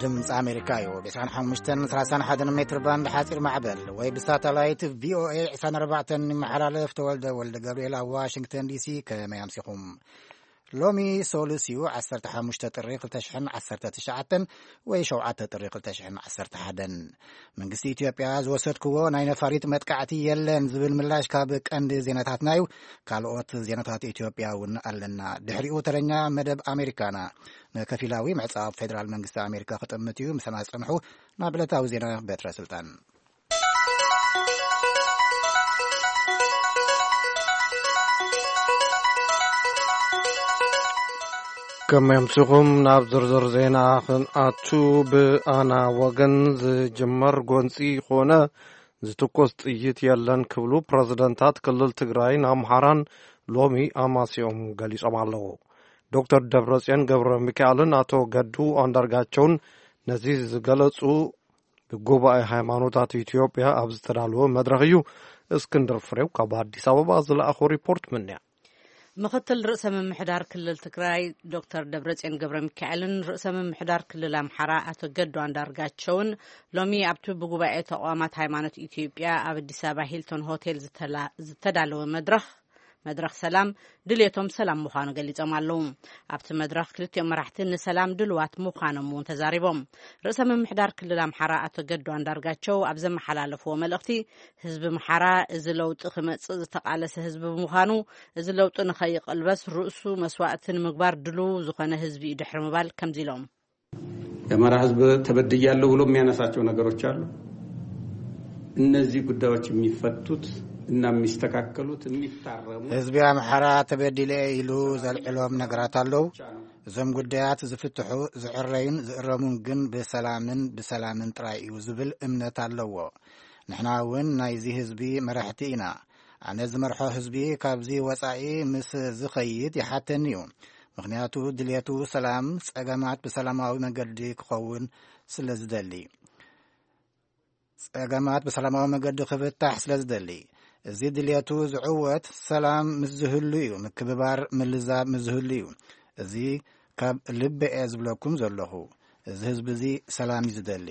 ድምፂ ኣሜሪካ እዩ። ብ ዕስራን ሓሙሽተን ሰላሳን ሓደን ሜትር ባንድ ሓፂር ማዕበል ወይ ብሳተላይት ቪኦኤ ዕስራን ኣርባዕተን ይመሓላለፍ። ተወልደ ወልደ ገብርኤል ኣብ ዋሽንግተን ዲሲ። ከመይ ኣምሲኹም? ሎሚ ሶሉስ እዩ፣ ዓሰርተ ሓሙሽተ ጥሪ ክልተ ሽሕን ዓሰርተ ትሽዓተን ወይ ሸውዓተ ጥሪ ክልተ ሽሕን ዓሰርተ ሓደን። መንግስቲ ኢትዮጵያ ዝወሰድክዎ ናይ ነፋሪት መጥቃዕቲ የለን ዝብል ምላሽ ካብ ቀንዲ ዜናታትና እዩ። ካልኦት ዜናታት ኢትዮጵያ እውን ኣለና። ድሕሪኡ ተረኛ መደብ ኣሜሪካና። ንከፊላዊ ምዕጻው ፌደራል መንግስቲ ኣሜሪካ ክጥምት እዩ። ምሳና ጽንሑ። ናብ ዕለታዊ ዜና በትረ ስልጣን። ከመይ ኣምሲኹም? ናብ ዝርዝር ዜና ክንኣቱ፣ ብኣና ወገን ዝጅመር ጎንጺ ኮነ ዝትኮስ ጥይት የለን ክብሉ ፕረዚደንታት ክልል ትግራይን ኣምሓራን ሎሚ ኣማሲኦም ገሊጾም ኣለዉ። ዶክተር ደብረጽዮን ገብረ ሚካኤልን ኣቶ ገዱ ኣንዳርጋቸውን ነዚ ዝገለጹ ብጉባኤ ሃይማኖታት ኢትዮጵያ ኣብ ዝተዳለወ መድረኽ እዩ። እስክንድር ፍሬው ካብ ኣዲስ ኣበባ ዝለኣኾ ሪፖርት ምንያ። ምኽትል ርእሰ ምምሕዳር ክልል ትግራይ ዶክተር ደብረጽዮን ገብረ ሚካኤልን ርእሰ ምምሕዳር ክልል ኣምሓራ ኣቶ ገዱ ኣንዳርጋቸውን ሎሚ ኣብቲ ብጉባኤ ተቋማት ሃይማኖት ኢትዮጵያ ኣብ ኣዲስ ኣበባ ሂልቶን ሆቴል ዝተላ-፣ ዝተዳለወ መድረኽ፣ መድረኽ ሰላም፣ ድልየቶም ሰላም ምዃኑ ገሊጾም ኣለዉ። ኣብቲ መድረኽ ክልቲኦም መራሕቲ ንሰላም ድልዋት ምዃኖም እውን ተዛሪቦም። ርእሰ ምምሕዳር ክልል ኣምሓራ ኣቶ ገዱ ኣንዳርጋቸው ኣብ ዘመሓላለፍዎ መልእኽቲ፣ ህዝቢ ኣምሓራ እዚ ለውጢ ክመጽእ ዝተቓለሰ ህዝቢ ብምዃኑ፣ እዚ ለውጢ ንኸይቐልበስ ርእሱ መስዋእቲ ንምግባር ድሉው ዝኾነ ህዝቢ እዩ ድሕሪ ምባል ከምዚ ኢሎም። የአማራ ህዝብ ተበድያለሁ ብሎ የሚያነሳቸው ነገሮች አሉ። እነዚህ ጉዳዮች የሚፈቱት እና የሚስተካከሉት፣ የሚታረሙት ህዝቢ ኣምሓራ ተበዲለ ኢሉ ዘልዕሎም ነገራት ኣለዉ። እዞም ጉዳያት ዝፍትሑ፣ ዝዕረዩን ዝእረሙን ግን ብሰላምን ብሰላምን ጥራይ እዩ ዝብል እምነት ኣለዎ። ንሕና እውን ናይዚ ህዝቢ መራሕቲ ኢና። ኣነ ዝመርሖ ህዝቢ ካብዚ ወጻኢ ምስ ዝኸይድ ይሓተኒ እዩ። ምኽንያቱ ድልየቱ ሰላም፣ ጸገማት ብሰላማዊ መገዲ ክኸውን ስለ ዝደሊ። ጸገማት ብሰላማዊ መገዲ ክፍታሕ ስለ ዝደሊ። እዚ ድልየቱ ዝዕወት ሰላም ምስ ዝህሉ እዩ፣ ምክብባር፣ ምልዛብ ምስ ዝህሉ እዩ። እዚ ካብ ልቢ እየ ዝብለኩም ዘለኹ። እዚ ህዝቢ እዚ ሰላም እዩ ዝደሊ።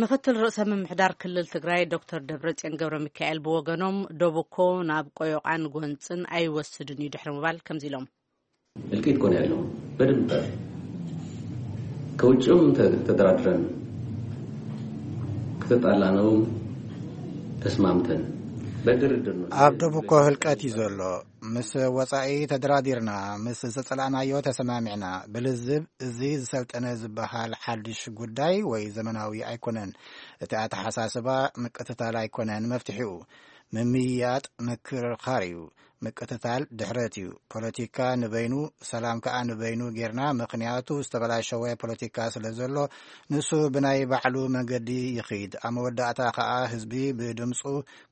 ምኽትል ርእሰ ምምሕዳር ክልል ትግራይ ዶክተር ደብረጽዮን ገብረ ሚካኤል ብወገኖም፣ ዶብ እኮ ናብ ቆዮቓን ጎንጽን ኣይወስድን እዩ ድሕሪ ምባል ከምዚ ኢሎም። እልቂት እኮ ነው ያለው። በደንብ ከውጭም ተ-፣ ተደራድረን፣ ከተጣላነውም ተስማምተን፣ በድርድር ነው። ኣብ ዶብ እኮ ህልቀት እዩ ዘሎ። ምስ ወጻኢ ተደራዲርና፣ ምስ ዝተጸላእናዮ ተሰማሚዕና። ብልዝብ፣ እዚ ዝሰልጠነ ዝበሃል ሓድሽ ጉዳይ ወይ ዘመናዊ ኣይኮነን። እቲ ኣተሓሳስባ ምቅትታል ኣይኮነን መፍትሒኡ። ምምይያጥ ምክርኻር እዩ። ምቅትታል ድሕረት እዩ። ፖለቲካ ንበይኑ፣ ሰላም ከኣ ንበይኑ ጌርና፣ ምኽንያቱ ዝተበላሸወ ፖለቲካ ስለ ዘሎ፣ ንሱ ብናይ ባዕሉ መገዲ ይኺድ። ኣብ መወዳእታ ከኣ ህዝቢ ብድምጹ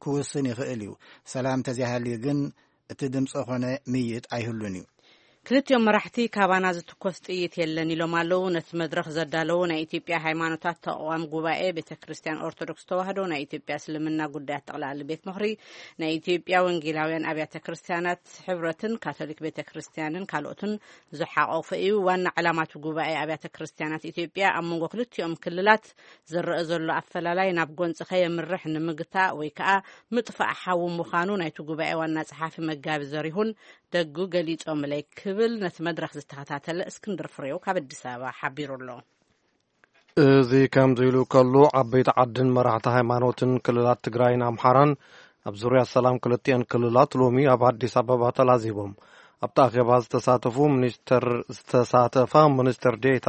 ክውስን ይኽእል እዩ። ሰላም ተዘይሃልዩ ግን፣ እቲ ድምፂ ኾነ ምይጥ ኣይህሉን እዩ። ክልቲኦም መራሕቲ፣ ካባና ዝትኮስ ጥይት የለን ኢሎም ኣለዉ። ነቲ መድረኽ ዘዳለዉ ናይ ኢትዮጵያ ሃይማኖታት ተቋም ጉባኤ፣ ቤተ ክርስቲያን ኦርቶዶክስ ተዋህዶ፣ ናይ ኢትዮጵያ እስልምና ጉዳያት ጠቕላሊ ቤት ምኽሪ፣ ናይ ኢትዮጵያ ወንጌላውያን ኣብያተ ክርስቲያናት ሕብረትን ካቶሊክ ቤተ ክርስቲያንን ካልኦትን ዝሓቆፈ እዩ። ዋና ዕላማ እቲ ጉባኤ ኣብያተ ክርስቲያናት ኢትዮጵያ ኣብ መንጎ ክልቲኦም ክልላት ዝረአ ዘሎ ኣፈላላይ ናብ ጎንፂ ከየምርሕ ንምግታእ ወይ ከዓ ምጥፋእ ሓዊ ምዃኑ ናይቲ ጉባኤ ዋና ጸሓፊ መጋቢ ዘሪሁን ደጉ ገሊጾምለይ ክብል ነቲ መድረኽ ዝተኸታተለ እስክንድር ፍሬው ካብ ኣዲስ ኣበባ ሓቢሩ ኣሎ። እዚ ከምዚ ኢሉ ከሎ፣ ዓበይቲ ዓድን መራሕቲ ሃይማኖትን ክልላት ትግራይን ኣምሓራን ኣብ ዙርያ ሰላም ክልቲአን ክልላት ሎሚ ኣብ ኣዲስ ኣበባ ተላዚቦም። ኣብቲ ኣኼባ ዝተሳተፉ ሚኒስተር፣ ዝተሳተፋ ሚኒስትር ዴኤታ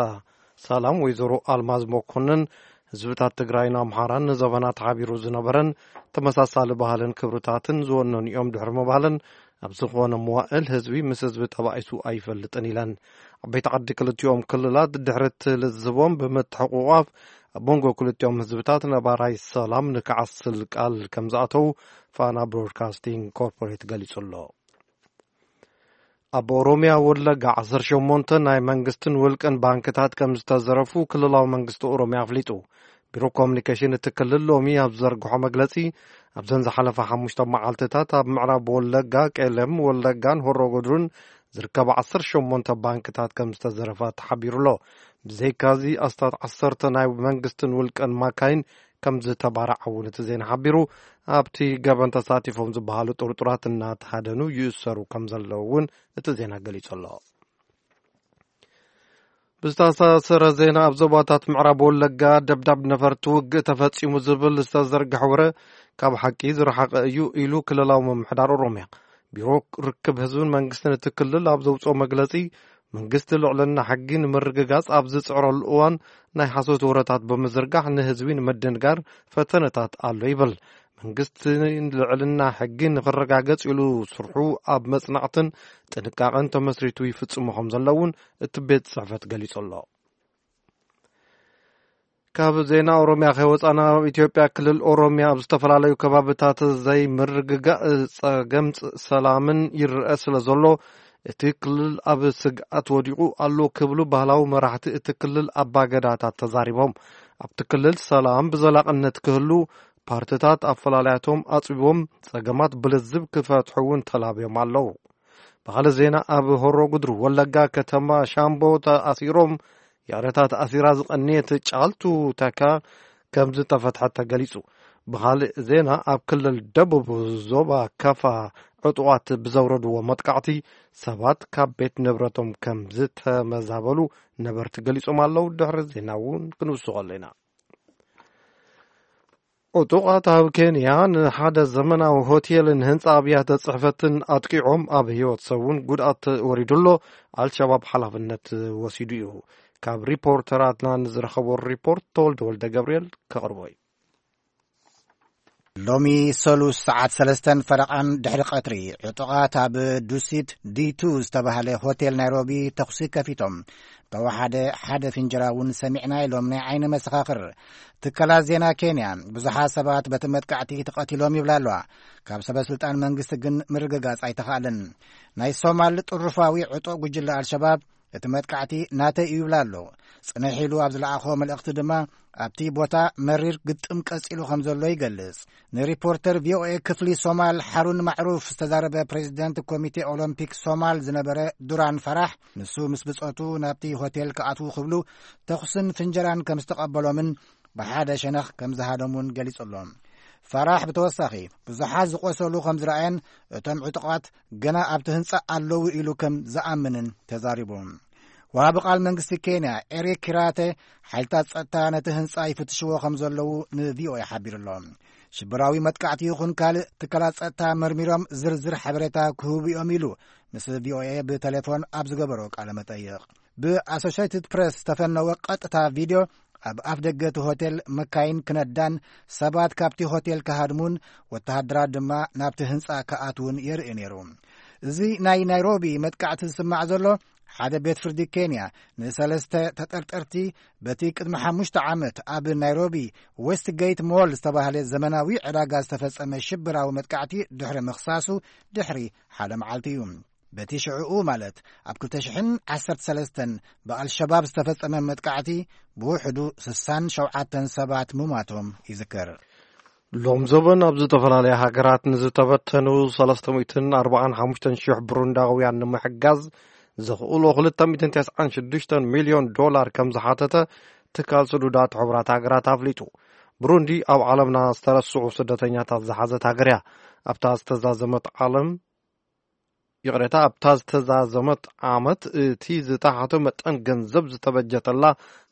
ሰላም ወይዘሮ ኣልማዝ መኮንን፣ ህዝብታት ትግራይን ኣምሓራን ንዘበናት ሓቢሩ ዝነበረን ተመሳሳሊ ባህልን ክብርታትን ዝወነኑ እዮም ድሕሪ ምባለን፣ ኣብ ዝኾነ መዋእል ህዝቢ ምስ ህዝቢ ተባኢሱ ኣይፈልጥን ኢለን። ዓበይቲ ዓዲ ክልቲኦም ክልላት ድሕሪ እቲ ልዝቦም ብምትሕቑቋፍ ኣብ መንጎ ክልቲኦም ህዝብታት ነባራይ ሰላም ንክዓስል ቃል ከም ዝኣተው ፋና ብሮድካስቲንግ ኮርፖሬት ገሊጹ ኣሎ። ኣብ ኦሮሚያ ወለጋ ዓሰርተ ሸሞንተ ናይ መንግስትን ውልቅን ባንክታት ከም ዝተዘረፉ ክልላዊ መንግስቲ ኦሮሚያ ኣፍሊጡ። ቢሮ ኮሙኒኬሽን እቲ ክልል ሎሚ ኣብ ዘርግሖ መግለጺ፣ ኣብዘን ዝሓለፋ ሓሙሽተ መዓልትታት ኣብ ምዕራብ ወለጋ፣ ቄለም ወለጋን ሆሮ ጉድሩን ዝርከባ ዓሰርተ ሸሞንተ ባንክታት ከም ዝተዘረፋ ተሓቢሩ ኣሎ። ብዘይካዚ ኣስታት ዓሰርተ ናይ መንግስትን ውልቀን ማካይን ከም ዝተባርዓ እውን እቲ ዜና ሓቢሩ። ኣብቲ ገበን ተሳቲፎም ዝበሃሉ ጥርጡራት እናተሃደኑ ይእሰሩ ከም ዘለዉ እውን እቲ ዜና ገሊጹ ኣሎ። ብዝተኣሳሰረ ዜና፣ ኣብ ዞባታት ምዕራብ ወለጋ ደብዳብ ነፈርቲ ውግእ ተፈጺሙ ዝብል ዝተዘርግሐ ወረ ካብ ሓቂ ዝረሓቐ እዩ ኢሉ ክልላዊ ምምሕዳር ኦሮምያ። ቢሮ ርክብ ህዝብን መንግስትን እቲ ክልል ኣብ ዘውፅኦ መግለፂ፣ መንግስቲ ልዕልና ሕጊ ንምርግጋፅ ኣብ ዝፅዕረሉ እዋን ናይ ሓሶት ወረታት ብምዝርጋሕ ንህዝቢ ንምድንጋር ፈተነታት ኣሎ ይብል። መንግስቲ ልዕልና ሕጊ ንክረጋገፅ ኢሉ ስርሑ ኣብ መጽናዕትን ጥንቃቐን ተመስሪቱ ይፍጽሞ ከም ዘሎ እውን እቲ ቤት ጽሕፈት ገሊጹ ኣሎ። ካብ ዜና ኦሮምያ ከይወጻና፣ ኣብ ኢትዮጵያ ክልል ኦሮምያ ኣብ ዝተፈላለዩ ከባብታት ዘይምርግጋእ ጸገም ጸ-፣ ሰላምን ይረአ ስለ ዘሎ፣ እቲ ክልል ኣብ ስግኣት ወዲቑ ኣሎ ክብሉ ባህላዊ መራሕቲ እቲ ክልል ኣባገዳታት ተዛሪቦም። ኣብቲ ክልል ሰላም ብዘላቕነት ክህሉ ፓርትታት ኣፈላላያቶም ኣጽቢቦም ጸገማት ብልዝብ ክፈትሑ እውን ተላብዮም ኣለዉ። ብኻልእ ዜና፣ ኣብ ሆሮ ጉድሩ ወለጋ ከተማ ሻምቦ ተኣሲሮም፣ ይቕረታ፣ ተኣሲራ ዝቐነየት ጫልቱ ተካ ከም ዝተፈትሐት ተገሊጹ። ብኻልእ ዜና፣ ኣብ ክልል ደቡብ ዞባ ካፋ ዕጡቓት ብዘውረድዎ መጥቃዕቲ ሰባት ካብ ቤት ንብረቶም ከም ዝተመዛበሉ ነበርቲ ገሊጾም ኣለዉ። ድሕሪ ዜና እውን ክንውስኸሉ ኢና። ዕጡቓት ኣብ ኬንያ ንሓደ ዘመናዊ ሆቴልን ህንጻ ኣብያተ ጽሕፈትን ኣጥቂዖም፣ ኣብ ህይወት ሰብ እውን ጉድኣት ወሪዱ ኣሎ። ኣልሸባብ ሓላፍነት ወሲዱ እዩ። ካብ ሪፖርተራትና ንዝረኸቦ ሪፖርት ተወልደ ወልደ ገብርኤል ከቕርቦ እዩ። ሎሚ ሰሉስ ሰዓት ሰለስተን ፈረቓን ድሕሪ ቀትሪ፣ ዕጡቓት ኣብ ዱሲት ዲ ቱ ዝተባህለ ሆቴል ናይሮቢ ተኹሲ ከፊቶም። ተወሓደ ሓደ ፍንጀራ እውን ሰሚዕና ኢሎም ናይ ዓይኒ መሰኻኽር። ትካላት ዜና ኬንያ፣ ብዙሓት ሰባት በቲ መጥቃዕቲ ተቐቲሎም ይብላ ኣለዋ። ካብ ሰበ ስልጣን መንግስቲ ግን ምርግጋጽ ኣይተኻእለን። ናይ ሶማል ጥሩፋዊ ዕጡቕ ጉጅለ ኣልሸባብ እቲ መጥቃዕቲ ናተይ እዩ ይብላ ኣሎ። ጽንሕ ኢሉ ኣብ ዝለኣኾ መልእኽቲ ድማ፣ ኣብቲ ቦታ መሪር ግጥም ቀጺሉ ከም ዘሎ ይገልጽ። ንሪፖርተር ቪ ኦ ኤ ክፍሊ ሶማል ሓሩን ማዕሩፍ ዝተዛረበ ፕሬዚደንት ኮሚቴ ኦሎምፒክ ሶማል ዝነበረ ዱራን ፈራሕ፣ ንሱ ምስ ብጾቱ ናብቲ ሆቴል ክኣትዉ ክብሉ ተኹስን ፍንጀራን ከም ዝተቐበሎምን ብሓደ ሸነኽ ከም ዝሃደሙን ገሊጹ ኣሎ። ፈራሕ ብተወሳኺ፣ ብዙሓት ዝቖሰሉ ከም ዝረኣየን እቶም ዕጡቓት ገና ኣብቲ ህንጻ ኣለዉ ኢሉ ከም ዝኣምንን ተዛሪቡ። ወሃቢ ቃል መንግስቲ ኬንያ ኤሪክ ኪራተ፣ ሓይልታት ጸጥታ ነቲ ህንጻ ይፍትሽዎ ከም ዘለዉ ን ቪ ኦ ኤ ሓቢሩ ኣሎ። ሽበራዊ መጥቃዕቲ ይኹን ካልእ፣ ትካላት ጸጥታ መርሚሮም ዝርዝር ሓበሬታ ክህቡ እዮም ኢሉ ምስ ቪ ኦ ኤ ብቴሌፎን ኣብ ዝገበሮ ቃለ መጠይቕ። ብ ኣሶሼትድ ፕሬስ ዝተፈነወ ቀጥታ ቪድዮ፣ ኣብ ኣፍ ደገ እቲ ሆቴል መካይን ክነዳን ሰባት ካብቲ ሆቴል ክሃድሙን ወተሃደራት ድማ ናብቲ ህንጻ ክኣትዉን የርኢ ነይሩ። እዚ ናይ ናይሮቢ መጥቃዕቲ ዝስማዕ ዘሎ፣ ሓደ ቤት ፍርዲ ኬንያ ንሰለስተ ተጠርጠርቲ በቲ ቅድሚ ሓሙሽተ ዓመት ኣብ ናይሮቢ ዌስትጌት ሞል ዝተባህለ ዘመናዊ ዕዳጋ ዝተፈጸመ ሽብራዊ መጥቃዕቲ ድሕሪ ምኽሳሱ ድሕሪ ሓደ መዓልቲ እዩ። በቲ ሽዕኡ፣ ማለት ኣብ ክልተ ሽሕን ዓሰርተ ሰለስተን ብኣልሸባብ ዝተፈጸመ መጥቃዕቲ፣ ብውሕዱ ስሳን ሸውዓተን ሰባት ምሟቶም ይዝከር። ሎም ዘበን ኣብ ዝተፈላለያ ሃገራት ንዝተበተኑ ሰለስተ ሚእትን ኣርባዓን ሓሙሽተን ሽሕ ብሩንዳውያን ንምሕጋዝ ዘኽእሎ ክልተ ሚእትን ተስዓን ሽዱሽተን ሚልዮን ዶላር ከም ዝሓተተ ትካል ስዱዳት ሕቡራት ሃገራት ኣፍሊጡ። ብሩንዲ ኣብ ዓለምና ዝተረስዑ ስደተኛታት ዝሓዘት ሃገር እያ። ኣብታ ዝተዛዘመት ዓለም፣ ይቕሬታ፣ ኣብታ ዝተዛዘመት ዓመት እቲ ዝተሓተ መጠን ገንዘብ ዝተበጀተላ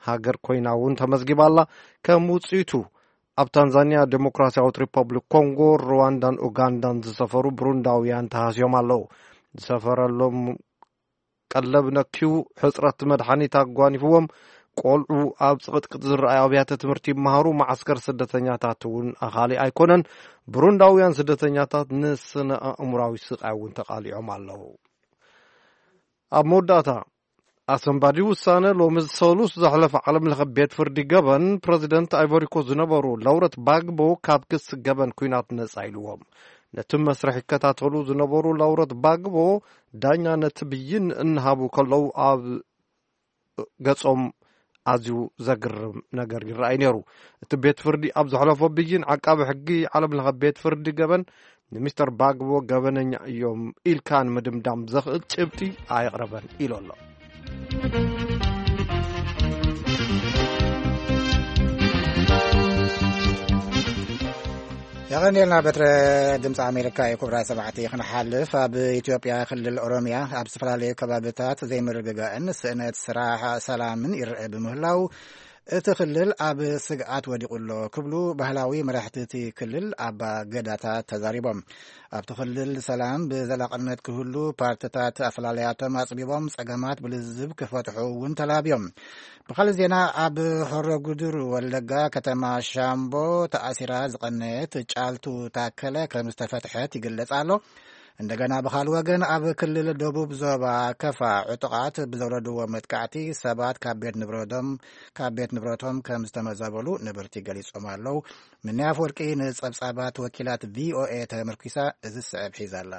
ሃገር ኮይና እውን ተመዝጊባ ኣላ። ከም ውጽኢቱ፣ ኣብ ታንዛንያ፣ ዴሞክራሲያዊት ሪፐብሊክ ኮንጎ፣ ሩዋንዳን ኡጋንዳን ዝሰፈሩ ብሩንዳውያን ተሃስዮም ኣለዉ። ዝሰፈረሎም ቀለብ ነክዩ፣ ሕጽረት መድሓኒት ኣጓኒፍዎም፣ ቆልዑ ኣብ ጽቕጥቅጥ ዝረኣዩ ኣብያተ ትምህርቲ ይመሃሩ፣ መዓስከር ስደተኛታት እውን ኣኻሊ ኣይኮነን። ብሩንዳውያን ስደተኛታት ንስነ ኣእምራዊ ስቓይ እውን ተቓሊዖም ኣለዉ። ኣብ መወዳእታ፣ ኣሰንባዲ ውሳነ ሎሚ ሰሉስ ዘሕለፈ ዓለም ለኸ ቤት ፍርዲ ገበን፣ ፕረዚደንት ኣይቮሪኮ ዝነበሩ ላውረት ባግቦ ካብ ክሲ ገበን ኲናት ነጻ ኢልዎም። ነቲ መስርሕ ይከታተሉ ዝነበሩ ላውረት ባግቦ፣ ዳኛ ነቲ ብይን እናሃቡ ከለዉ ኣብ ገጾም ኣዝዩ ዘግርም ነገር ይረኣይ ነይሩ። እቲ ቤት ፍርዲ ኣብ ዘሕለፎ ብይን፣ ዓቃቢ ሕጊ ዓለም ለኸ ቤት ፍርዲ ገበን ንሚስተር ባግቦ ገበነኛ እዮም ኢልካ ንምድምዳም ዘኽእል ጭብጢ ኣየቕረበን ኢሉ ኣሎ። ኣቐኒልና በትረ ድምፂ ኣሜሪካ እዩ። ክቡራት ሰማዕቲ፣ ክንሓልፍ፣ ኣብ ኢትዮጵያ ክልል ኦሮሚያ ኣብ ዝተፈላለዩ ከባብታት ዘይምርግጋእን ስእነት ስራሕ ሰላምን ይረአ ብምህላው እቲ ክልል ኣብ ስግኣት ወዲቑ ኣሎ ክብሉ ባህላዊ መራሕቲ እቲ ክልል ኣባ ገዳታት ተዛሪቦም። ኣብቲ ክልል ሰላም ብዘላቕነት ክህሉ ፓርትታት ኣፈላለያቶም ኣጽቢቦም ጸገማት ብልዝብ ክፈትሑ እውን ተላብዮም። ብኻልእ ዜና፣ ኣብ ሆሮ ጉድሩ ወለጋ ከተማ ሻምቦ ተኣሲራ ዝቐነየት ጫልቱ ታከለ ከም ዝተፈትሐት ይግለጽ ኣሎ። እንደገና ብኻልእ ወገን፣ ኣብ ክልል ደቡብ ዞባ ከፋ ዕጡቓት ብዘውረድዎ መጥቃዕቲ ሰባት ካብ ቤት ንብረቶም ካብ ቤት ንብረቶም ከም ዝተመዛበሉ ነበርቲ ገሊጾም ኣለዉ። ምንያፍ ወርቂ ንጸብጻባት ወኪላት ቪ ኦ ኤ ተመርኪሳ እዚ ዝስዕብ ሒዛ ኣላ።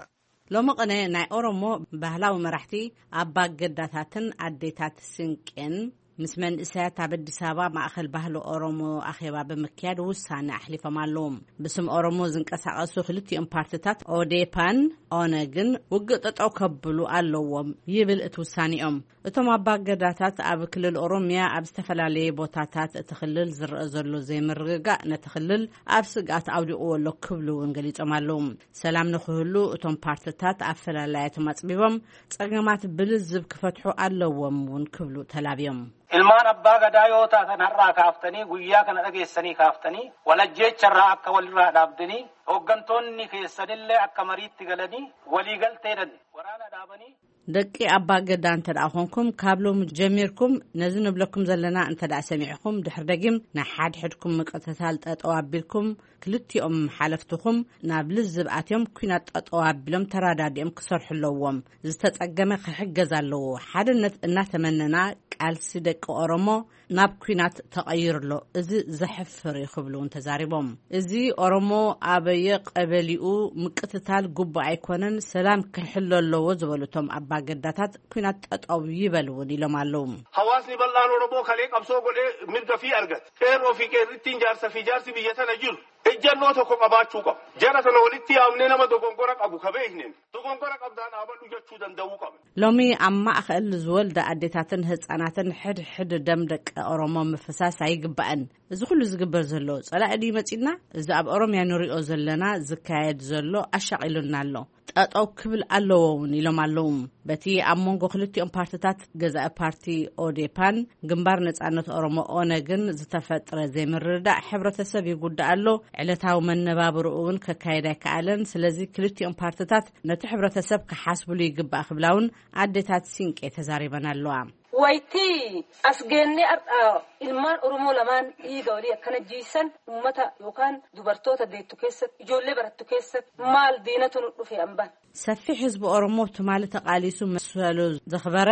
ሎሚ ቅነ ናይ ኦሮሞ ባህላዊ መራሕቲ ኣባ ገዳታትን ኣዴታት ስንቄን ምስ መንእሰያት ኣብ ኣዲስ ኣበባ ማእኸል ባህሊ ኦሮሞ ኣኼባ ብምክያድ ውሳነ ኣሕሊፎም ኣለዉ። ብስም ኦሮሞ ዝንቀሳቐሱ ክልቲኦም ፓርትታት ኦዴፓን ኦነግን ውግእ ጠጠው ከብሉ ኣለዎም ይብል እቲ ውሳኔኦም። እቶም ኣባ ገዳታት ኣብ ክልል ኦሮሚያ ኣብ ዝተፈላለየ ቦታታት እቲ ክልል ዝረአ ዘሎ ዘይምርግጋእ ነቲ ክልል ኣብ ስግኣት ኣውዲቕዎ ኣሎ ክብሉ እውን ገሊጾም ኣለዉ። ሰላም ንክህሉ እቶም ፓርትታት ኣፈላላያቶም ኣጽቢቦም ጸገማት ብልዝብ ክፈትሑ ኣለዎም እውን ክብሉ ተላብዮም። Ilmaan abbaa gadaa yoo taatan, har'aa kaaftanii guyyaa kana dhageessanii kaaftanii walajjeecharraa akka walirraa dhaabdanii, hooggantoonni keessanillee akka mariitti galanii waliigalteedhan waraana dhaabanii ደቂ ኣባ ገዳ እንተ ደኣ ኾንኩም፣ ካብ ሎሚ ጀሚርኩም ነዚ ንብለኩም ዘለና እንተ ደኣ ሰሚዕኹም፣ ድሕሪ ደጊም ናይ ሓድሕድኩም ምቅትታል ጠጠው ኣቢልኩም፣ ክልቲኦም ሓለፍትኹም ናብ ልዝብ ኣትዮም ኲናት ጠጠው ኣቢሎም ተራዳዲኦም ክሰርሑ ኣለዎም። ዝተጸገመ ክሕገዝ ኣለዎ። ሓድነት እናተመነና ቃልሲ ደቂ ኦሮሞ ናብ ኲናት ተቐይሩ ኣሎ። እዚ ዘሕፍር እዩ ክብሉ እውን ተዛሪቦም። እዚ ኦሮሞ ኣበየ ቀበሊኡ ምቅትታል ግቡእ ኣይኮነን፣ ሰላም ክሕሎ ኣለዎ ዝበሉ እቶም ኣባገዳታት ኲናት ጠጠው ይበል እውን ኢሎም ኣለዉ። Hawaasni bal'aan Oromoo kalee qabsoo godhee mirga fi argate. Qeerroo fi qeerrittiin jaarsa fi jaarsi biyya tana jiru ejjannoo tokko qabaachuu qabu. Jara tana walitti yaamnee nama dogongora qabu ka beekneen dogongora qabdaan dhaabadhu jechuu danda'uu qabna. ሎሚ ኣብ ማእኸል ዝወልዳ ኣዴታትን ህፃናትን ሕድሕድ ደም ደቂ ኦሮሞ ምፍሳስ ኣይግባእን። እዚ ኩሉ ዝግበር ዘሎ ጸላኢ ድዩ መጺና? እዚ ኣብ ኦሮምያ ንሪኦ ዘለና ዝካየድ ዘሎ ኣሻቒሉና ኣሎ። ጠጠው ክብል ኣለዎ እውን ኢሎም ኣለዉ። በቲ ኣብ መንጎ ክልቲኦም ፓርትታት፣ ገዛኢ ፓርቲ ኦዴፓን ግንባር ነጻነት ኦሮሞ ኦነግን ዝተፈጥረ ዘይምርድዳእ ሕብረተሰብ ይጉዳእ ኣሎ። ዕለታዊ መነባብርኡ እውን ከካየድ ኣይከኣለን። ስለዚ ክልቲኦም ፓርትታት ነቲ ሕብረተሰብ ክሓስብሉ ይግባእ ክብላ እውን ኣዴታት ሲንቄ ተዛሪበን ኣለዋ። Wayitii as geennee har'a ilmaan Oromoo lamaan dhiiga walii akkana jiisan uummata yookaan dubartoota deettu keessatti, ijoollee barattu keessatti maal diinatu nu dhufe amban? ሰፊሕ ህዝቢ ኦሮሞ ትማሊ ተቓሊሱ መሰሉ ዘኽበረ፣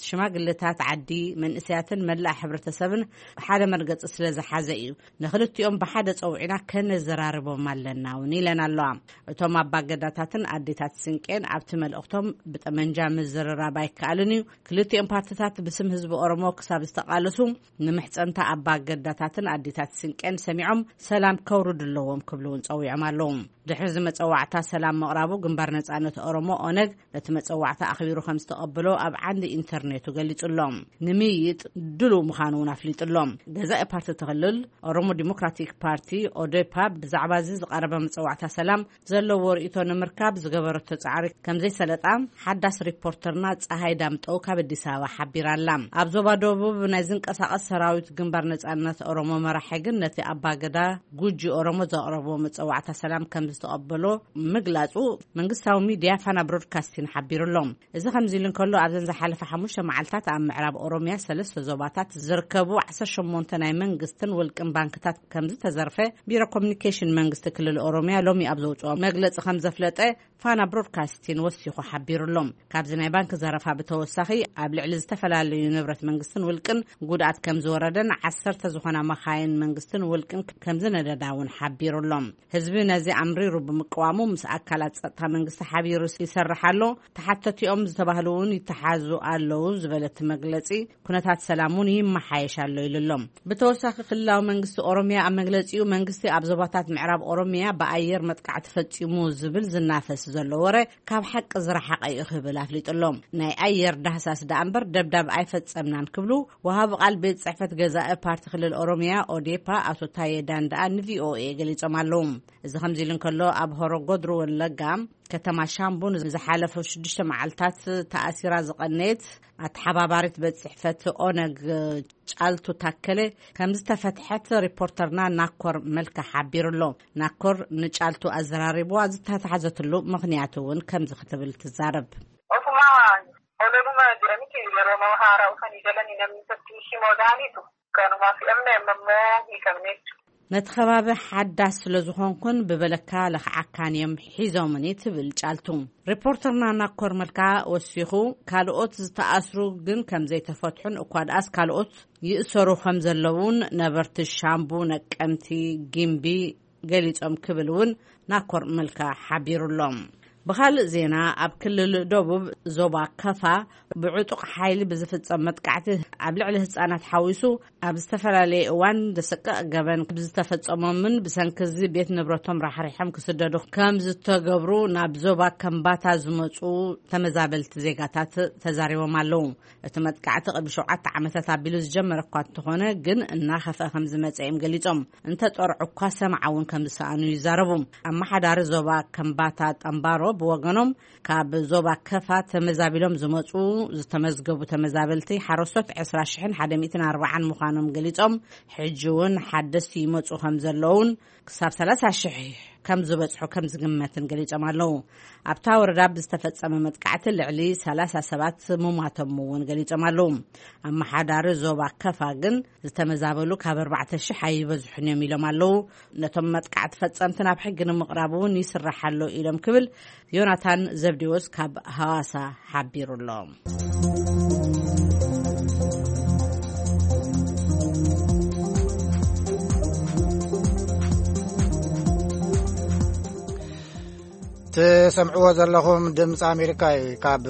ሽማግለታት ዓዲ፣ መንእሰያትን መላእ ሕብረተሰብን ሓደ መርገጺ ስለ ዝሓዘ እዩ። ንኽልቲኦም ብሓደ ጸውዒና ከነዘራርቦም ኣለና እውን ኢለን ኣለዋ። እቶም ኣባገዳታትን ኣዴታት ስንቄን ኣብቲ መልእኽቶም፣ ብጠመንጃ ምዝርራብ ኣይከኣልን እዩ። ክልቲኦም ፓርትታት ብስም ህዝቢ ኦሮሞ ክሳብ ዝተቓለሱ፣ ንምሕጸንታ ኣባገዳታትን ኣዴታት ስንቄን ሰሚዖም ሰላም ከውርዱ ኣለዎም ክብሉ እውን ጸዊዖም ኣለዉ። ድሕሪ እዚ መጸዋዕታ ሰላም ምቕራቡ፣ ግንባር ነጻነት ኦሮሞ ኦነግ ነቲ መጸዋዕታ ኣኽቢሩ ከም ዝተቐበሎ ኣብ ዓንዲ ኢንተርኔቱ ገሊጹ ኣሎ። ንምይይጥ ድሉው ምዃኑ እውን ኣፍሊጡ ኣሎ። ገዛኢ ፓርቲ እቲ ክልል ኦሮሞ ዲሞክራቲክ ፓርቲ ኦዴፓ ብዛዕባ እዚ ዝቐረበ መጸዋዕታ ሰላም ዘለዎ ርእይቶ ንምርካብ ዝገበረቶ ጻዕሪ ከም ዘይሰለጣ ሓዳስ ሪፖርተርና ጸሃይ ዳምጠው ካብ ኣዲስ ኣበባ ሓቢራ ኣላ። ኣብ ዞባ ደቡብ ናይ ዝንቀሳቐስ ሰራዊት ግንባር ነጻነት ኦሮሞ መራሒ ግን ነቲ ኣባገዳ ጉጂ ኦሮሞ ዘቕረቦ መጸዋዕታ ሰላም ከም ዝተቐበሎ ምግላጹ መንግስታዊ ሚድያ ፋና ብሮድካስቲን ሓቢሩ ኣሎ። እዚ ከምዚ ኢሉ እንከሎ፣ ኣብዘን ዝሓለፈ ሓሙሽተ መዓልታት ኣብ ምዕራብ ኦሮምያ ሰለስተ ዞባታት ዝርከቡ ዓሰርተ ሸሞንተ ናይ መንግስትን ውልቅን ባንክታት ከም ዝተዘርፈ ቢሮ ኮሚኒኬሽን መንግስቲ ክልል ኦሮምያ ሎሚ ኣብ ዘውጽኦ መግለጺ ከም ዘፍለጠ ፋና ብሮድካስቲን ወሲኹ ሓቢሩ ኣሎ። ካብዚ ናይ ባንክ ዘረፋ ብተወሳኺ፣ ኣብ ልዕሊ ዝተፈላለዩ ንብረት መንግስትን ውልቅን ጉድኣት ከም ዝወረደን ዓሰርተ ዝኾና መኻይን መንግስትን ውልቅን ከም ዝነደዳ እውን ሓቢሩ ኣሎ። ህዝቢ ነዚ ኣምር ተጻሪሩ ብምቅዋሙ ምስ ኣካላት ጸጥታ መንግስቲ ሓቢሩ ይሰርሕ ኣሎ። ተሓተቲኦም ዝተባህሉ እውን ይተሓዙ ኣለዉ ዝበለት መግለጺ፣ ኩነታት ሰላም እውን ይመሓየሽ ኣሎ ኢሉ ኣሎ። ብተወሳኺ ክልላዊ መንግስቲ ኦሮሚያ ኣብ መግለጺኡ መንግስቲ ኣብ ዞባታት ምዕራብ ኦሮሚያ ብኣየር መጥቃዕቲ ፈጺሙ ዝብል ዝናፈስ ዘሎ ወረ ካብ ሓቂ ዝረሓቐ እዩ ክብል ኣፍሊጡ ኣሎ። ናይ ኣየር ዳህሳስ ደኣ እምበር ደብዳብ ኣይፈጸምናን ክብሉ ወሃቢ ቃል ቤት ጽሕፈት ገዛኢ ፓርቲ ክልል ኦሮሚያ ኦዴፓ ኣቶ ታየ ዳንዳኣ ንቪኦኤ ገሊጾም ኣለዉ። እዚ ከምዚ ኢሉ እንከሎ ኣብ ሆሮ ጎድሩ ወለጋ ከተማ ሻምቡ ንዝሓለፈ ሽዱሽተ መዓልታት ተኣሲራ ዝቐነየት ኣተሓባባሪት ቤት ጽሕፈት ኦነግ ጫልቱ ታከለ ከም ዝተፈትሐት ሪፖርተርና ናኮር መልካ ሓቢሩ ኣሎ። ናኮር ንጫልቱ ኣዘራሪብዋ ዝተታሕዘትሉ ምኽንያት እውን ከምዚ ክትብል ትዛረብ። Ofumaa ololuma jedhaniiti yeroo nama haaraa dhufanii galanii namni tokkichi modaan hiitu kanuma fi'amne amma immoo hiikamne jechuudha. ነቲ ከባቢ ሓዳስ ስለ ዝኾንኩን ብበለካ ለኽዓካን እዮም ሒዞምኒ ትብል ጫልቱ። ሪፖርተርና ናኮር መልካ ወሲኹ ካልኦት ዝተኣስሩ ግን ከም ዘይተፈትሑን እኳ ደኣስ ካልኦት ይእሰሩ ከም ዘለውን ነበርቲ ሻምቡ፣ ነቀምቲ፣ ጊምቢ ገሊጾም ክብል እውን ናኮር መልካ ሓቢሩ ኣሎ። ብኻልእ ዜና ኣብ ክልል ደቡብ ዞባ ከፋ ብዕጡቕ ሓይሊ ብዝፍጸም መጥቃዕቲ ኣብ ልዕሊ ህጻናት ሓዊሱ ኣብ ዝተፈላለየ እዋን ዘሰቅቕ ገበን ብዝተፈጸሞምን ብሰንኪ እዚ ቤት ንብረቶም ራሕሪሖም ክስደዱ ከም ዝተገብሩ ናብ ዞባ ከምባታ ዝመጹ ተመዛበልቲ ዜጋታት ተዛሪቦም ኣለዉ። እቲ መጥቃዕቲ ቅድሚ ሸውዓተ ዓመታት ኣቢሉ ዝጀመረ እኳ እንተኾነ ግን እናኸፍአ ከም ዝመጸ እዮም ገሊጾም። እንተጠርዑ እኳ ሰምዓ እውን ከም ዝሰኣኑ ይዛረቡ። ኣመሓዳሪ ዞባ ከምባታ ጠምባሮ ብወገኖም ካብ ዞባ ከፋ ተመዛቢሎም ዝመጹ ዝተመዝገቡ ተመዛበልቲ ሓረስቶት ዕስራ ሽሕን ሓደ ሚእትን ኣርባዓን ምዃኖም ገሊጾም ሕጂ እውን ሓደስቲ ይመጹ ከም ዘለውን ክሳብ ሰላሳ ሽሕ ከም ዝበጽሑ ከም ዝግመትን ገሊጾም ኣለዉ። ኣብታ ወረዳ ብዝተፈጸመ መጥቃዕቲ ልዕሊ ሰላሳ ሰባት ምሟቶም እውን ገሊጾም ኣለዉ። ኣመሓዳሪ ዞባ ከፋ ግን ዝተመዛበሉ ካብ ኣርባዕተ ሽሕ ኣይበዝሑን እዮም ኢሎም ኣለዉ። ነቶም መጥቃዕቲ ፈጸምቲ ናብ ሕጊ ንምቕራብ እውን ይስራሕ ኣሎ ኢሎም ክብል ዮናታን ዘብዴዎስ ካብ ሃዋሳ ሓቢሩ ኣሎ። ትሰምዕዎ ዘለኹም ድምፂ ኣሜሪካ እዩ። ካብ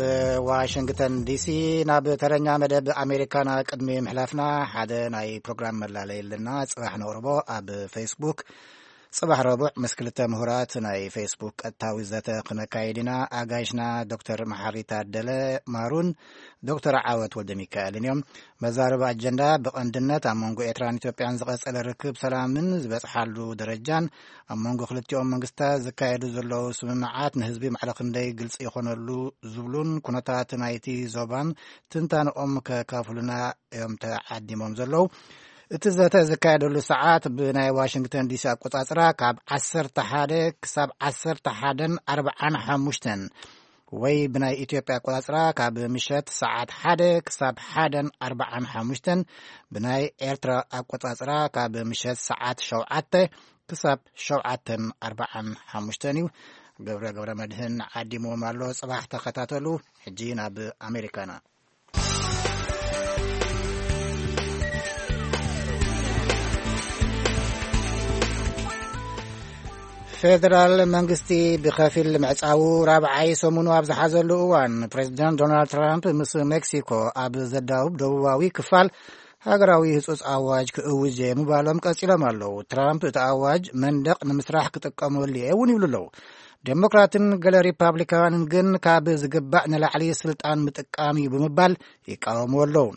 ዋሽንግተን ዲሲ ናብ ተረኛ መደብ ኣሜሪካና ቅድሚ ምሕላፍና ሓደ ናይ ፕሮግራም መላለይ ኣለና። ፅባሕ ነቕርቦ ኣብ ፌስቡክ። ፅባሕ ረቡዕ ምስ ክልተ ምሁራት ናይ ፌስቡክ ቀጥታዊ ዘተ ክነካይድ ኢና። ኣጋይሽና ዶክተር መሓሪ ታደለ ማሩን ዶክተር ዓወት ወልደ ሚካኤልን እዮም። መዛረቢ ኣጀንዳ ብቐንድነት ኣብ መንጎ ኤርትራን ኢትዮጵያን ዝቐጸለ ርክብ ሰላምን ዝበጽሓሉ ደረጃን ኣብ መንጎ ክልቲኦም መንግስታት ዝካየዱ ዘለዉ ስምምዓት ንህዝቢ ማዕረ ክንደይ ግልጺ ይኾነሉ ዝብሉን ኩነታት ናይቲ ዞባን ትንታንኦም ከካፍሉና እዮም ተዓዲሞም ዘለዉ። እቲ ዘተ ዝካየደሉ ሰዓት ብናይ ዋሽንግተን ዲሲ ኣቆጻጽራ ካብ ዓሰርተ ሓደ ክሳብ ዓሰርተ ሓደን ኣርባዓን ሓሙሽተን ወይ ብናይ ኢትዮጵያ ኣቆጻጽራ ካብ ምሸት ሰዓት ሓደ ክሳብ ሓደን ኣርባዓን ሓሙሽተን፣ ብናይ ኤርትራ ኣቆጻጽራ ካብ ምሸት ሰዓት ሸውዓተ ክሳብ ሸውዓተን ኣርባዓን ሓሙሽተን እዩ። ገብረ ገብረ መድህን ዓዲምዎም ኣሎ። ጽባሕ ተኸታተሉ። ሕጂ ናብ ኣሜሪካና። ፌደራል መንግስቲ ብኸፊል ምዕጻዉ ራብዓይ ሰሙኑ ኣብ ዝሓዘሉ እዋን፣ ፕሬዚደንት ዶናልድ ትራምፕ ምስ ሜክሲኮ ኣብ ዘዳውብ ደቡባዊ ክፋል ሃገራዊ ህጹጽ ኣዋጅ ክእውጅ እየ ምባሎም ቀጺሎም ኣለዉ። ትራምፕ እቲ ኣዋጅ መንደቕ ንምስራሕ ክጥቀመሉ እየ እውን ይብሉ ኣለዉ። ዴሞክራትን ገለ ሪፓብሊካውያንን ግን ካብ ዝግባእ ንላዕሊ ስልጣን ምጥቃም እዩ ብምባል ይቃወሙ ኣለዉ።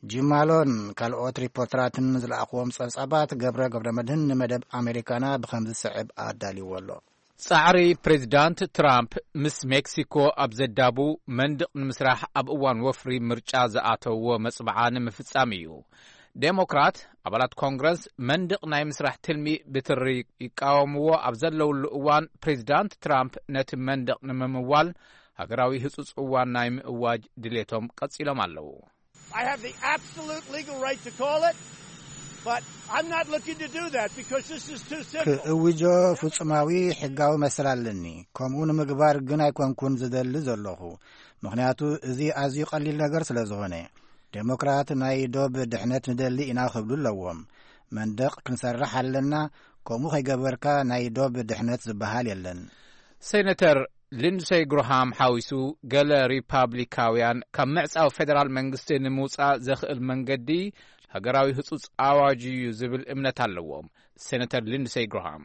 ጂም ማሎን ካልኦት ሪፖርተራትን ዝለኣኽዎም ጸብጻባት ገብረ ገብረ መድህን ንመደብ ኣሜሪካና ብኸምዚ ዝስዕብ ኣዳልይዎ ኣሎ። ጻዕሪ ፕሬዚዳንት ትራምፕ ምስ ሜክሲኮ ኣብ ዘዳቡ መንድቕ ንምስራሕ ኣብ እዋን ወፍሪ ምርጫ ዝኣተውዎ መጽብዓ ንምፍጻም እዩ። ዴሞክራት ኣባላት ኮንግረስ መንድቕ ናይ ምስራሕ ትልሚ ብትሪ ይቃወምዎ ኣብ ዘለውሉ እዋን፣ ፕሬዚዳንት ትራምፕ ነቲ መንድቕ ንምምዋል ሃገራዊ ህጹጽ እዋን ናይ ምእዋጅ ድሌቶም ቀጺሎም ኣለዉ። I have the absolute legal right to call it, but I'm not looking to do that because this is too simple. ክእውጆ ፍጹማዊ ሕጋዊ መሰል ኣለኒ። ከምኡ ንምግባር ግን ኣይኮንኩን ዝደሊ ዘለኹ፣ ምኽንያቱ እዚ ኣዝዩ ቀሊል ነገር ስለ ዝኾነ። ዴሞክራት ናይ ዶብ ድሕነት ንደሊ ኢና ክብሉ ኣለዎም። መንደቕ ክንሰርሕ ኣለና፣ ከምኡ ከይገበርካ ናይ ዶብ ድሕነት ዝበሃል የለን። ሴነተር ሊንድሰይ ግርሃም ሓዊሱ፣ ገለ ሪፓብሊካውያን ካብ ምዕጻው ፌደራል መንግስቲ ንምውጻእ ዘኽእል መንገዲ ሃገራዊ ህጹጽ ኣዋጅ እዩ ዝብል እምነት ኣለዎም። ሴነተር ሊንድሰይ ግርሃም።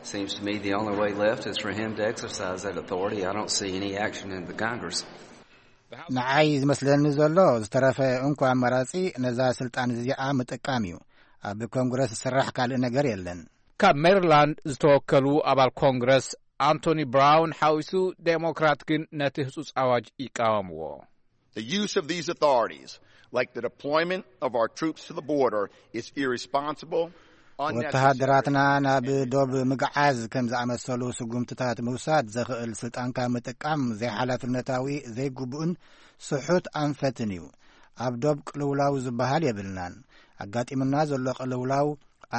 Seems to me the only way left is for him to exercise that authority. I don't see any action in the Congress. ንዓይ ዝመስለኒ ዘሎ ዝተረፈ እንኮ ኣማራጺ ነዛ ስልጣን እዚኣ ምጥቃም እዩ። ኣብ ኮንግረስ ዝስራሕ ካልእ ነገር የለን። ካብ ሜሪላንድ ዝተወከሉ ኣባል ኮንግረስ ኣንቶኒ ብራውን ሓዊሱ፣ ዴሞክራት ግን ነቲ ህጹጽ ኣዋጅ ይቃወምዎ። The use of these authorities, like the deployment of our troops to the border, is irresponsible, unnecessary. ወተሃደራትና ናብ ዶብ ምግዓዝ ከም ዝኣመሰሉ ስጉምትታት ምውሳድ ዘኽእል ስልጣንካ ምጥቃም ዘይሓላፍነታዊ፣ ዘይግቡእን ስሑት ኣንፈትን እዩ። ኣብ ዶብ ቅልውላው ዝበሃል የብልናን። ኣጋጢምና ዘሎ ቅልውላው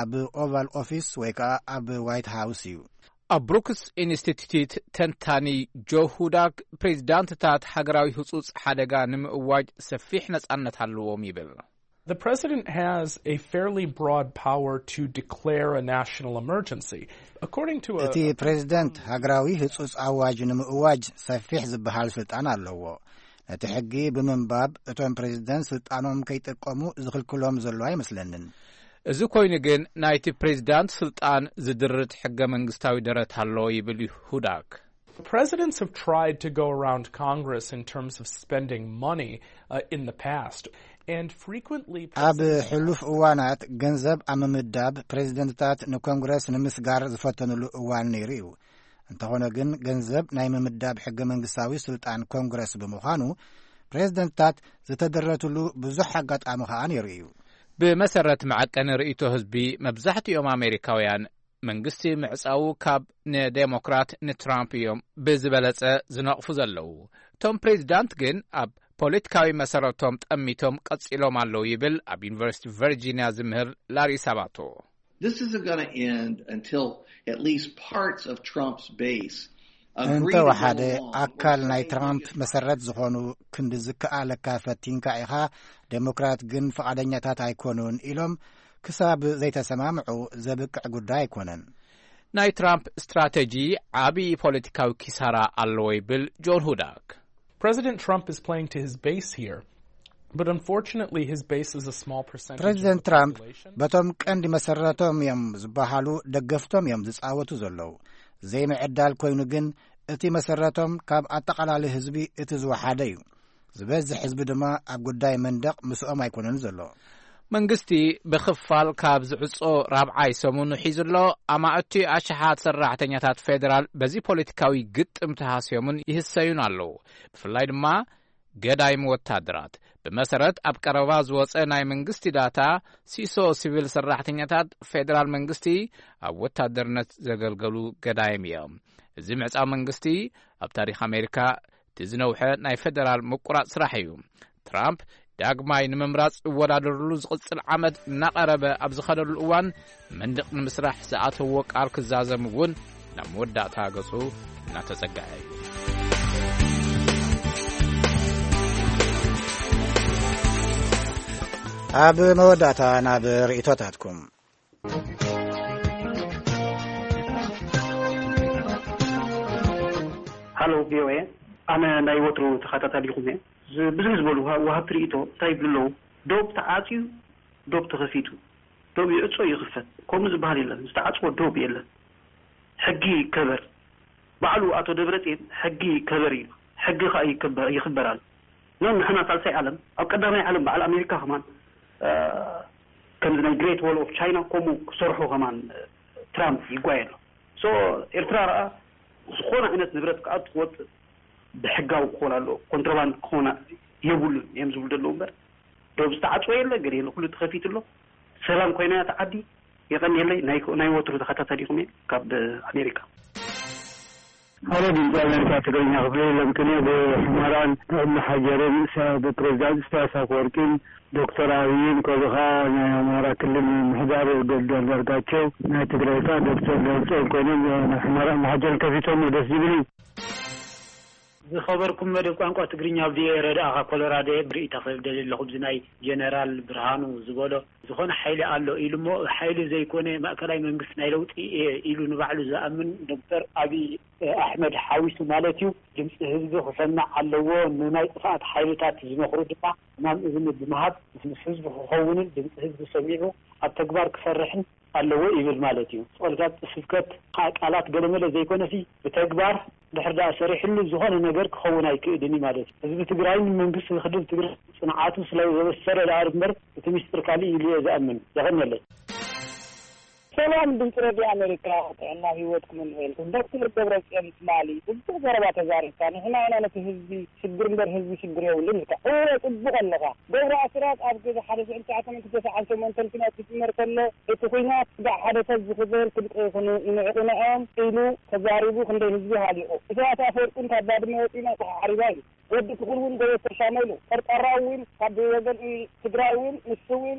ኣብ ኦቫል ኦፊስ ወይ ከኣ ኣብ ዋይት ሃውስ እዩ። ኣብ ብሩክስ ኢንስቲትዩት ተንታኒ ጆ ሁዳክ፣ ፕሬዚዳንትታት ሃገራዊ ህጹጽ ሓደጋ ንምእዋጅ ሰፊሕ ነጻነት ኣለዎም ይብል። The president has a fairly broad power to declare a national emergency. According to a እቲ ፕሬዚደንት ሃገራዊ ህጹጽ ኣዋጅ ንምእዋጅ ሰፊሕ ዝበሃል ስልጣን ኣለዎ። ነቲ ሕጊ ብምንባብ እቶም ፕሬዚደንት ስልጣኖም ከይጥቀሙ ዝኽልክሎም ዘሎ ኣይመስለንን። እዚ ኮይኑ ግን ናይቲ ፕሬዚዳንት ስልጣን ዝድርት ሕገ መንግስታዊ ደረት ኣሎ ይብል ሁዳክ። Presidents have tried to go around Congress in terms of spending money uh, in the past, and frequently ኣብ ሕሉፍ እዋናት ገንዘብ ኣብ ምምዳብ ፕሬዚደንትታት ንኮንግረስ ንምስጋር ዝፈተኑሉ እዋን ነይሩ እዩ። እንተኾነ ግን ገንዘብ ናይ ምምዳብ ሕገ መንግስታዊ ስልጣን ኮንግረስ ብምዃኑ፣ ፕሬዚደንትታት ዝተደረትሉ ብዙሕ ኣጋጣሚ ኸኣ ነይሩ እዩ። ብመሰረት መዐቀኒ ርእይቶ ህዝቢ፣ መብዛሕትኦም ኣሜሪካውያን መንግስቲ ምዕጻዉ ካብ ንዴሞክራት ንትራምፕ እዮም ብዝበለጸ ዝነቕፉ ዘለዉ። እቶም ፕሬዚዳንት ግን ኣብ ፖለቲካዊ መሰረቶም ጠሚቶም ቀጺሎም ኣለዉ ይብል ኣብ ዩኒቨርሲቲ ቨርጂኒያ ዝምህር ላሪ ሳባቶ። This isn't going to end until at least parts of Trump's base agree to go እንተወሓደ along ኣካል ናይ ትራምፕ መሰረት ዝኾኑ ክንዲ ዝከኣለካ ፈቲንካ ኢኻ፣ ዴሞክራት ግን ፍቓደኛታት ኣይኮኑን ኢሎም ክሳብ ዘይተሰማምዑ ዘብቅዕ ጉዳይ ኣይኮነን። ናይ ትራምፕ ስትራተጂ ዓቢ ፖለቲካዊ ኪሳራ ኣለዎ ይብል ጆን ሁዳክ። President Trump is playing to his base here, but unfortunately his base is a small percentage of ፕሬዚደንት the ትራምፕ population. በቶም ቀንዲ መሰረቶም እዮም ዝበሃሉ ደገፍቶም እዮም ዝጻወቱ ዘለዉ። ዘይምዕዳል ኮይኑ ግን እቲ መሰረቶም ካብ ኣጠቓላሊ ህዝቢ እቲ ዝወሓደ እዩ። ዝበዝሕ ህዝቢ ድማ ኣብ ጉዳይ መንደቕ ምስኦም ኣይኮነን ዘሎ። መንግስቲ ብኽፋል ካብ ዝዕጾ ራብዓይ ሰሙኑ ሒዙ ኣሎ። ኣማእቲ ኣሽሓት ሰራሕተኛታት ፌደራል በዚ ፖለቲካዊ ግጥም ተሃስዮምን ይህሰዩን ኣለዉ። ብፍላይ ድማ ገዳይም ወታደራት። ብመሰረት ኣብ ቀረባ ዝወጸ ናይ መንግስቲ ዳታ፣ ሲሶ ሲቪል ሰራሕተኛታት ፌደራል መንግስቲ ኣብ ወታደርነት ዘገልገሉ ገዳይም እዮም። እዚ ምዕጻው መንግስቲ ኣብ ታሪኽ ኣሜሪካ እቲ ዝነውሐ ናይ ፌደራል ምቁራጽ ስራሕ እዩ። ትራምፕ ዳግማይ ንምምራጽ እወዳደርሉ ዝቕጽል ዓመት እናቐረበ ኣብ ዝኸደሉ እዋን፣ መንደቕ ንምስራሕ ዝኣተዎ ቃል ክዛዘም እውን ናብ መወዳእታ ገጹ እናተጸግዐ እዩ። ኣብ መወዳእታ ናብ ርእይቶታትኩም። ሃሎ ቪኦኤ፣ ኣነ ናይ ወትሩ ተኸታታሊኹም እየ። ዝ-፣ ብዙሕ ዝበሉ ወሃ-፣ ወሃብቲ ርእይቶ እንታይ ይብሉ ኣለዉ? ዶብ ተዓጽዩ፣ ዶብ ተኸፊቱ፣ ዶብ ይዕጾ ይኽፈት፣ ከምኡ ዝበሃል የለን። ዝተዓጽወ ዶብ የለን። ሕጊ ይከበር። ባዕሉ ኣቶ ደብረጽዮን ሕጊ ይከበር እዩ። ሕጊ ኸኣ ይከበር፣ ይኽበር ኣሎ። ኖ፣ ንሕና ሳልሳይ ዓለም፣ ኣብ ቀዳማይ ዓለም በዓል ኣሜሪካ ከማን፣ እ፣ ከምዚ ናይ ግሬት ዎል ኦፍ ቻይና ከምኡ ክሰርሑ ከማን፣ እ፣ ትራምፕ ይጓየ ኣሎ። ሶ፣ ኤርትራ ረኣ ዝኾነ ዓይነት ንብረት ክኣቱ ክወጽእ ብሕጋዊ ክኾን ኣለዎ፣ ኮንትሮባንድ ክኾን የብሉን እዮም ዝብሉ ዘለዉ እምበር፣ ዶብ ዝተዓጽወ የለ፣ ገለ የለ፣ ኩሉ ተኸፊቱ ኣሎ። ሰላም ኮይና እያ እታ ዓዲ። የቐንየለይ፣ ናይ፣ ናይ ወትሩ ተኸታታሊኹም እየ ካብ ኣሜሪካ። ሃሎ ድምፂ ኣሜሪካ ትግርኛ ክፍሊ፣ ለምቅነ ብሑመራን ብእምሓጀርን ሳ-፣ ብፕሬዚዳንት ኢሳያስ ኣፈወርቂን ዶክተር ኣብይን፣ ከምኡ ከዓ ናይ ኣማራ ክልል ምምሕዳር ዶክተር ደርጋቸው፣ ናይ ትግራይ ከዓ ዶክተር ደብረፅዮን ኮይኖም ናይ ሑመራ እምሓጀርን ከፊቶሞ ደስ ዝብል እዩ። ዝኸበርኩም መደብ ቋንቋ ትግርኛ፣ ኣብ ቪኦኤ ረዳእኻ ኮሎራዶ እየ። ብርእይታ ክብል ደልየ ኣለኹ፣ ብዚ ናይ ጀነራል ብርሃኑ ዝበሎ ዝኾነ ሓይሊ ኣሎ ኢሉ እሞ፣ ሓይሊ ዘይኮነ ማእከላይ መንግስቲ ናይ ለውጢ እየ ኢሉ ንባዕሉ ዝኣምን ዶክተር ኣብይ ኣሕመድ ሓዊሱ ማለት እዩ፣ ድምፂ ህዝቢ ክሰማዕ ኣለዎ። ንናይ ጥፍኣት ሓይልታት ዝመኽሩ ድማ ሕማም እዝኒ ብምሃብ ምስ ህዝቢ ክኸውንን ድምፂ ህዝቢ ሰሚዑ ኣብ ተግባር ክሰርሕን ኣለዎ ይብል ማለት እዩ። ጸልጋት ስብከት ቃላት ገለመለ ዘይኮነሲ፣ ብተግባር ድሕር ደኣ ሰሪሕሉ ዝኾነ ነገር ክኸውን ኣይክእልን እዩ ማለት እዩ። ህዝቢ ትግራይን መንግስቲ ክልል ትግራይ ጽንዓቱ ስለ ዘበሰረ ደኣ እምበር እቲ ሚስጥር ካልእ ኢሉ እየ ዝኣምን። የቐንየለይ። ሰላም ድምፂ ሬድዮ ኣሜሪካ፣ ጥዕና ህይወትኩም እንሄልኩም። ዶክተር ደብረጽዮን ትማሊ ጽቡቕ ዘረባ ተዛሪብካ። ንሕና ኢና ነቲ ህዝቢ ሽግር እምበር ህዝቢ ሽግር የብሉን ኢልካ። እወ፣ ጽቡቕ ኣለኻ። ገብሩ ኣስራት ኣብ ግዜ ሓደ ሽሕን ትሽዓተ ሚእትን ተስዓን ሸሞንተን ኲናት ክጅመር ከሎ፣ እቲ ኲናት ስጋዕ ሓደ ሰብ ዝኽበል ክልቀ ይኹኑ ይንዕቑ ንዕኦም ኢሉ ተዛሪቡ ክንደይ ህዝቢ ሃሊቑ። ኢሳያስ ኣፈወርቂ እውን ካብ ባድመ ወጺና ተሓሪባ ኢሉ። ወዲ ትኹል እውን ጎበዝ ተሻመሉ። ጠርጣራዊ እውን ካብ ወገን ትግራይ እውን ንሱ እውን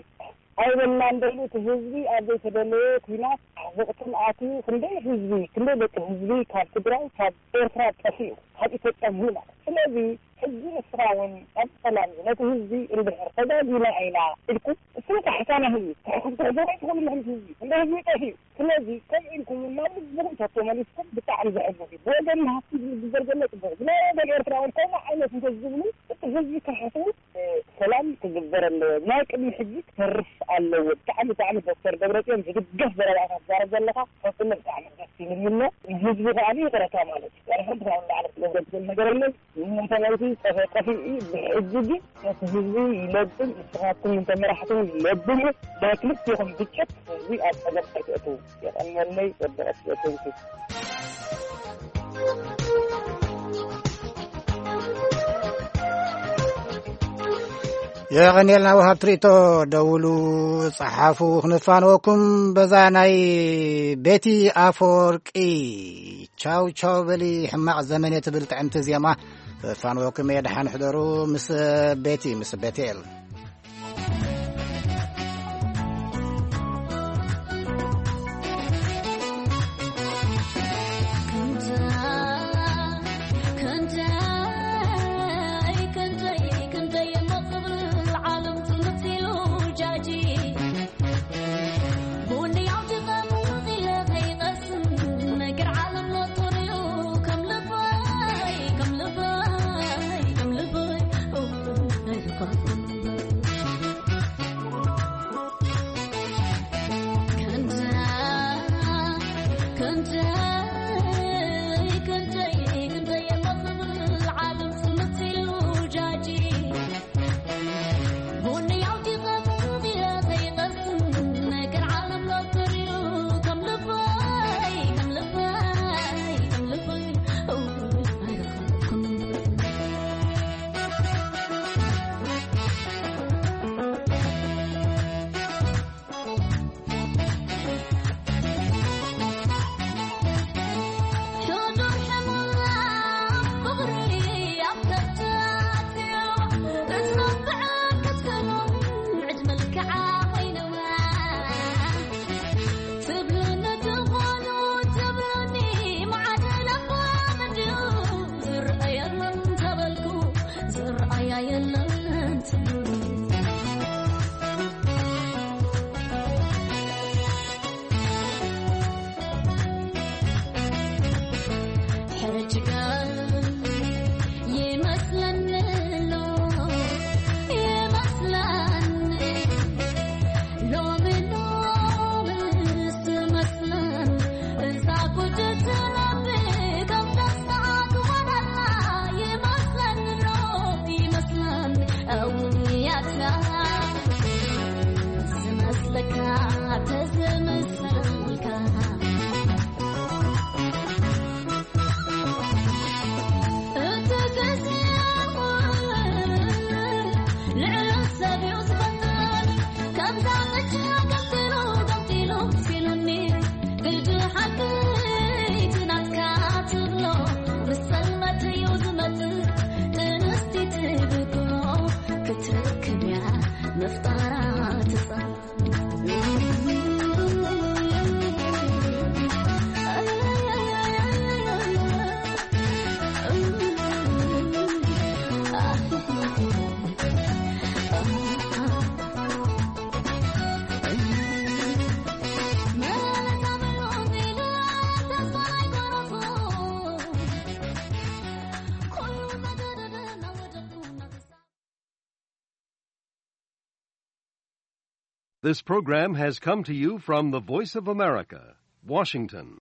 ኣይበልናን ደሉ እቲ ህዝቢ ኣብ ዘይተደለየ ኲናት ዓዘቕትን ኣትዩ ክንደይ ህዝቢ፣ ክንደይ ደቂ ህዝቢ ካብ ትግራይ፣ ካብ ኤርትራ ጠፊኡ፣ ካብ ኢትዮጵያ ሙሉ ማለት። ስለዚ ሕጂ ንስኻ እውን ኣብ ሰላም ነቲ ህዝቢ እንድሕር ተጋጊና ኢና ኢልኩም፣ እሱ ካሕሳ ናይ ህዝቢ፣ ትሕስቡ ኣይትኽእሉን። ንሕምቲ ህዝቢ፣ እንደ ህዝቢ ጠፊኡ። ስለዚ ከም ኢልኩም ናብ ልብኹም ተመሊስኩም ብጣዕሚ ዘሕጉስ እዩ። ብወገን ሃፍቲ ዝግበር ዘሎ ጽቡቕ፣ ብናይ ወገን ኤርትራ እውን ከምኡ ዓይነት እንተዝብሉ፣ እቲ ህዝቢ ክሓስቡ፣ እ፣ ሰላም ክግበር ኣለዎ። ናይ ቅድሚ ሕጂ ክተርፍ ኣለዎ። ብጣዕሚ፣ ብጣዕሚ ዶክተር ደብረጽዮን ዝድገፍ ዘረባታት ትዛረብ ዘለኻ፣ ፈጽሞ ብጣዕሚ ደስ ይብል ኣሎ። ንህዝቢ ከኣ ይቕረታ ማለት እዩ። ድሕሪ ሕጂ ካብ ላዕሊ ክገብረ ዝኽእል ነገር የለን። ንመሰረቱ ጠፈ-፣ ጠፊኡ እዩ። ብሕጂ ግን ነቲ ህዝቢ ይለብም፣ ንስኻትኩም እንተ መራሕቲ እውን ለብሙ። ናይ ክልቲኹም ግጭት ህዝቢ ኣብ ጸገም ኣይትእትዉ። የቐንየለይ፣ ወዲ ቀስ በሰንኪ። የቐንየልና ወሃብ ትርኢቶ፣ ደውሉ፣ ጸሓፉ፣ ክንፋንወኩም በዛ ናይ ቤቲ ኣፈወርቂ ቻው ቻው በሊ ሕማቕ ዘመን እየ ትብል ጥዕምቲ ዜማ ክፋንወኩም እየ። ደሓን ሕደሩ ምስ ቤቲ፣ ምስ ቤቴል። This program has come to you from the Voice of America, Washington.